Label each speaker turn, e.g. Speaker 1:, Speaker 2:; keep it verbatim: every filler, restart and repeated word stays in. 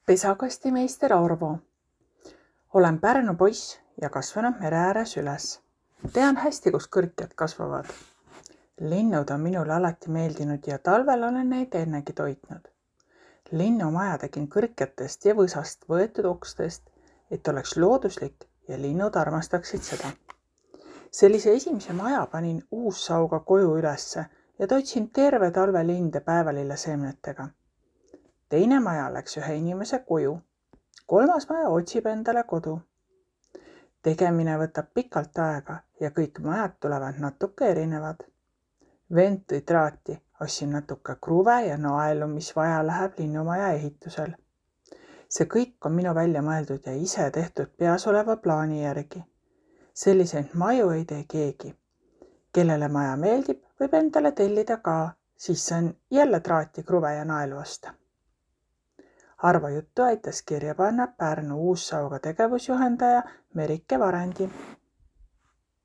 Speaker 1: Pesakastimeister Arvo. Olen Pärnu poiss ja kasvanud mere ääres üles. Tean hästi, kus kõrkjad kasvavad. Linnud on minule alati meeldinud ja talvel olen neid ennegi toitnud. Linnumaja tegin kõrkjatest ja võsast võetud okstest, et oleks looduslik ja linnud armastaksid seda. Sellise esimese maja panin uussauga koju ülesse ja toitsin terve talve linde päevalille seemnetega. Teine maja läks ühe inimese koju. Kolmas maja otsib endale kodu. Tegemine võtab pikalt aega ja kõik majad tulevad natuke erinevad. Vend tõi traati, ostsin natuke kruve ja naelu, mis vaja läheb linnumaja ehitusel. See kõik on minu välja mõeldud ja ise tehtud peas oleva plaani järgi. Selliseid maju ei tee keegi. Kellele maja meeldib, võib endale tellida ka, siis on jälle traati, kruve ja naelu osta. Arvo juttu aitas kirja panna Pärnu uussauga tegevusjuhendaja Merike Varendi.